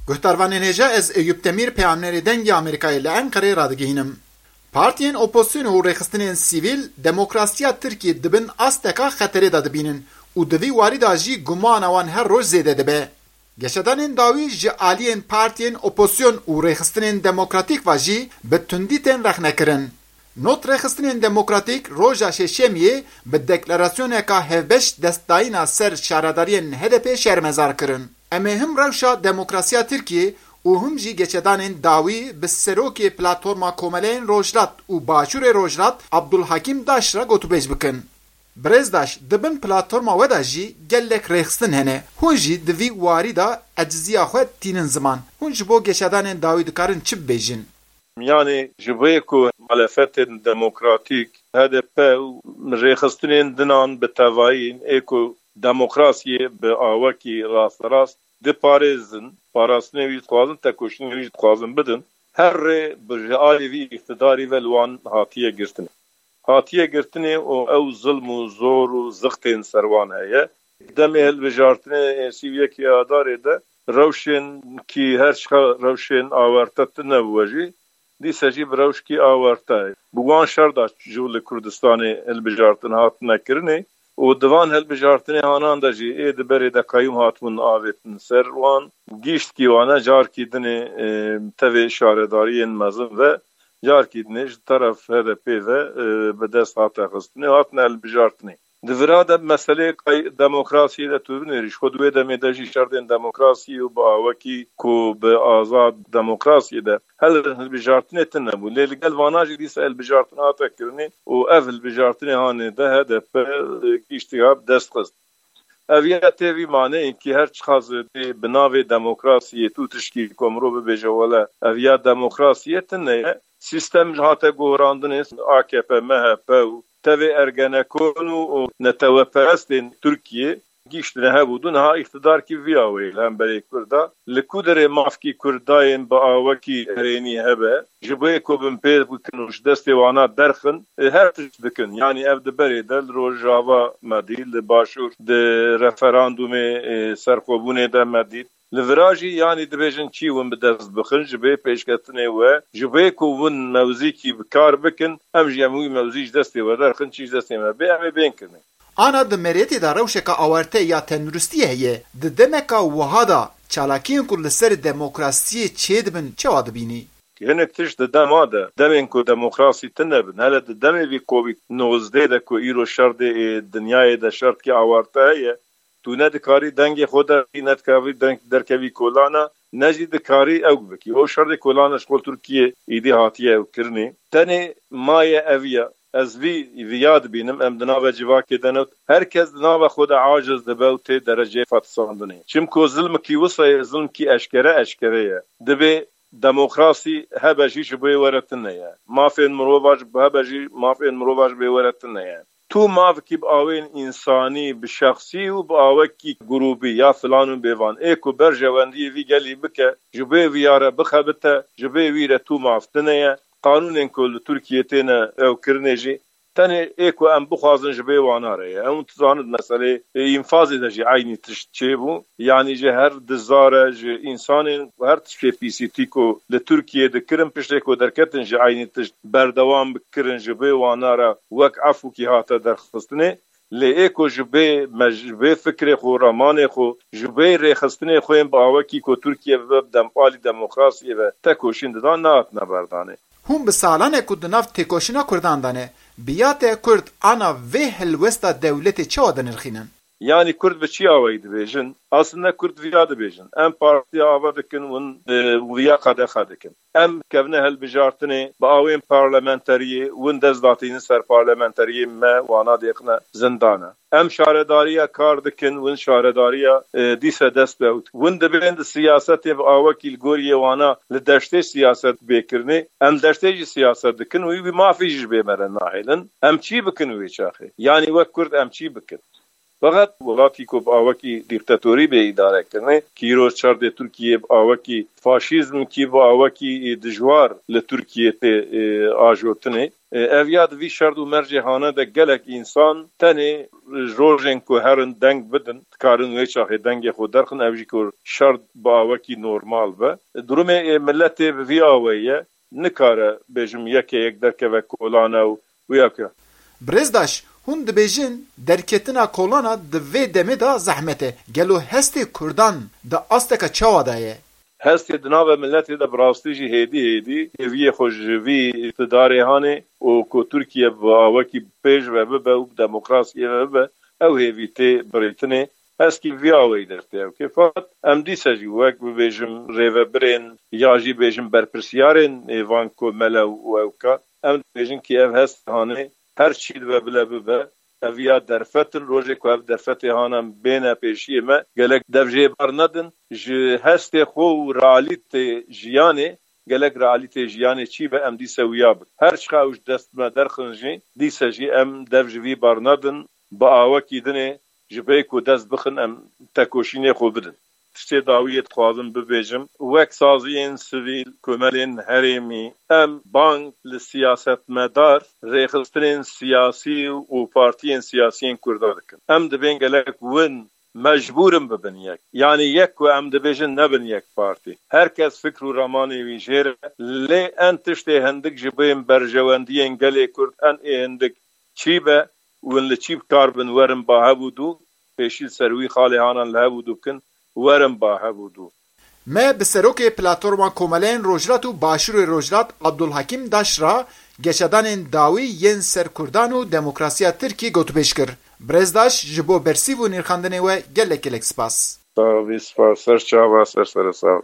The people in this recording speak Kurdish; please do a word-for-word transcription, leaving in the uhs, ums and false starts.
Guhdarvanên hêja, ez Eyûp Demîr, peyamnerê Dengê Amerîkayê li Enqereyê radigihînim. Partiyên opozisyonê û rêxistinên sivîl demokrasiya Tirkiyê di bin asteka xeterê de dibînin û di vî warî de jî gumana wan her roj zêde dibe. Geşedanên dawî ji aliyên partiyên opozisyon û rêxistinên demokratîk ve jî bi tundî tên rexnekirin. Not rêxistinên demokratîk roja şeşemiyê bi deklarasyoneka hevbeş destdayîna ser şaredariyên H D P şermezar kirin. Em ê him rewşa demokrasiya Tirkiyê û him jî geşedanên dawî bi serokê Platforma Komeleyên Rojhilat û Başûrê Rojhilat Abdulhakîm Daş re gotûbêj bikin. Birêz Daş, di bin platforma we de jî gelek rêxistin hene. Hûn jî di vî warî de eciziya xwe tînin ziman. Hûn ji bo geşedanên dawî dikarin çi bibêjin? Yanî ji bo ku muhalefetên demokratîk, H D P û rêxistinên dinan bi tevayî ê ku demokrasiyê bi awekî rasterast diparêzin, parastinê wî dixwazin, tekoşînê wî jî dixwazin bidin, her rê bi ji alî vî îqtidarî ve li wan hatiye girtinê. Hatiye girtinê û ew zilm û zor û zixtên ser wan heye. Demê hilbijartinê ê sî û yekê Adarê de rewşên kî her çiqa rewşên awarte tune bû jî, dîse jî bi rewşkî awarte bi wan şer de ji li Kurdistanê hilbijartin hatine kirinê û di van hilbijartinê hanan de jî ê di berê de qeyûm hatibûn avêtin ser wan, gîştkî wane carkî dinê, e, tevê şaredariyên mezin ve, carkî dinê ji teref H D P ve, e, bi dest hate xistinê, hatine hilbijartinê. Di vira de meseleyê qey-, demokrasiyê de tu binêrî, ji xwe di wê demê de jî şerdên demokrasiyê û bi awekî ku bi azad demokrasiyê de hel hilbijartinê tune bû. Lê li gel vana jî dîsa hilbijartin hate kirinê û ev hilbijartinê hanê de H D P giştiya bi dest xist. Ev ya tê vî maneyê ki her çiqas dê bi navê demokrasiyê tu tişkî ku mirov bibêje wele ev ya demokrasiyê tune ye. Sîstem hate gohrandinê A K P, M H P û tevê Ergenekon û, û neteweperestên Tirkiyê gihiştine hev û du niha îqtidarkî vî awayî li hemberê Kurda. Li ku derê mafkî Kurdayên bi awekî erênî hebe, ji bo yê ku binpê bikin û ji destê wana derxin, e, her tişt dikin. Yanî ev di berê de li Rojava me dît, li Başûr, di referandûmê, e, serxwebûnê de me dît. Li vira jî yanî dibêjin çî win bi dest bixin ji bê pêşketinê we, ji bê ku win mewzîkî bi kar bikin, em jî em wî mewzî ji destê we derxin, çî ji destê me bê, em ê bên kirinê. Ana di meriyetê de rewşeka awarte ya tenduristiyê heye. Di demeka wiha de çalakiyên ku li ser demokrasiyê çêdibin çawa dibînî? Hinek tişt di dema de, demên ku demokrasî tune bin, hele di demê vî Covid nozdeh de ku îro şerdê ê dinyayê de şertkî awarte heye, tu ne dikarî dengê xwe derxî, ne dikarî deng-, derkevî kolana, ne jî dikarî ew bikî. O şerdê kolana ji xwe Tirkiye îdî hatiye ew kirinê. Tenê maye ev ya. Ez vî, vî ya dibînim, em di nava civakê de ne. Her kes di nava xwe de aciz dibe û tê dereceyê fetisandinê. Çimku zilmikî wisa ye, zilmikî eşkere eşkere ye. Dibê demokrasî hebe jî ji bo were tune ye. Mafên mirova ji, hebe jî mafên mirova ji bo were tune ye. Tu mafkî bi awên însanî, bi şexsî û bi awekî grûbî ya filan û bêvan ê ku berjewendiyê vî gelî bike, ji bê vî ya re bixebite, ji bê wî re tu maf tune ye. Qanûnên ku li Tirkiyê têne ew kirinê jî tenê ê ku em bixwazin ji bê wana re ye. Em dizanin meselê, e, înfazê de jî eynî tişt çêbû. Yanî ji her dizare, ji însanên her tiştê pîsîtî ku li Tirkiyê dikirin, piştê ku derketin ji eynî tişt berdewam bikirin, ji bê wana re wek efûkî hate derxistinê. Lê ê ku ji bê me, ji bê fikrê xwe, ramanê xwe, ji bê rêxistinê xwe yên bi awekî ku Tirkiye bibe bi dem-, alî demokrasiyê ve tekoşîn didan, nehatine berdanê. Hûn bi salan e ku di nav têkoşîna Kurdan de ne. Bi ya te Kurd ana vê helwesta dewletê çawa dinirxînin? Yanî Kurd bi çi awayî dibêjin? Aslında Kurd viya dibêjin. Em partiya ava dikin, hûn, e, viya qedexe dikin. Em kevne hilbijartinê bi awên parlamenteriyê, hûn dest datînin ser parlamenteriyê me, wana dêxine zindana. Em şaredariya kar dikin, hûn şaredariya, e, dîse dest bi ew dikin. Hûn dibên di siyasetê bi awekî li gorî yê wana li deştê siyaset bê kirinê, em deştê jî siyaset dikin û wî mafî jî ji bê me re nahêlin. Em çî bikin wê çaxê? Yanî wek Kurd em çî bikin? Feqet welatî ku bi awekî dîktatorî bê îdarekirinê, kîro çardê Tirkiyê bi awekî faşîzmkî, bi awekî dijwar li Tirkiyê tê, e, ajotinê. E, ev ya di vî şert û mercê hane de gelek însan tenê rojên ku herin deng bidin, dikarin wê çaxê dengê xwe derxin, ev jî ku şert bi awekî normal be. Durumê, e, miletê bi vî awê ye, nikare bêjim yeke yek derkeve kolane û wî eke. Birêzdaş, hûn dibêjin derketina kolana di vê demê de zehmet e. Gelo hestê Kurdan di asteke çawa de ye? Hestê di nava miletê de bi rastî jî hêdî hêdî hêviyê xwe ji vî îqtidarê hanê û ku Tirkiye bi awekî pêş ve bibe û bi demokrasiyê ve bibe, ew hêvî tê birîtinê. Heskî vî aweyî dertê ew kê. Fakat em dîse jî wek bibêjim rêvebirên ya jî bêjim berpirsiyarên ê van komele û ewka, em dibêjin kî ev hest hanê her çî dibe bile bibe, ev ya derfet in, rojê ku ev derfetê hana bêne pêşiyê me, gelek dev jê bar nedin, ji hestê xwe û realîtê jiyanê, gelek realîtê jiyanê çî be, em dîse wiya bin. Her çiqa ew ji dest me derxin jî, dîse jî em dev ji vî bar nedin, bi awekî dinê ji vê ku dest bixin em tekoşînê xwe bidin. Tiştê dawiyê dixwazim bibêjim, wek saziyên sivîl, komelên herêmî, em bang li siyasetmedar, rêxistinên siyasî û partiyên siyasiyên Kurda dikin. Em dibên gelek win mecbûr in bibin yek. Yanî yek ku em dibêjin nebin yek partî. Her kes fikr û ramanê wî jêr e. Lê en tiştê hindik ji bên berjewendiyên gelê Kurd en ê hindik çî be, win li çî bi kar bin werin ba hev û dû, pêşî li ser wî xalê hanan li hev û dû bikin, werin ba hev û dû. Me bi serokê Platforma Komeleyên Rojhilat û Başûrê Rojhilat Abdulhakim Daş re geşedanên dawî yên ser Kurdan û demokrasiya Tirkî gotûbêj kir. Birêzdaş ji bo bersîv û nirxandinê we gelek gelek spas. Sağ ol, spas. Ser çava, ser sere sağ ol.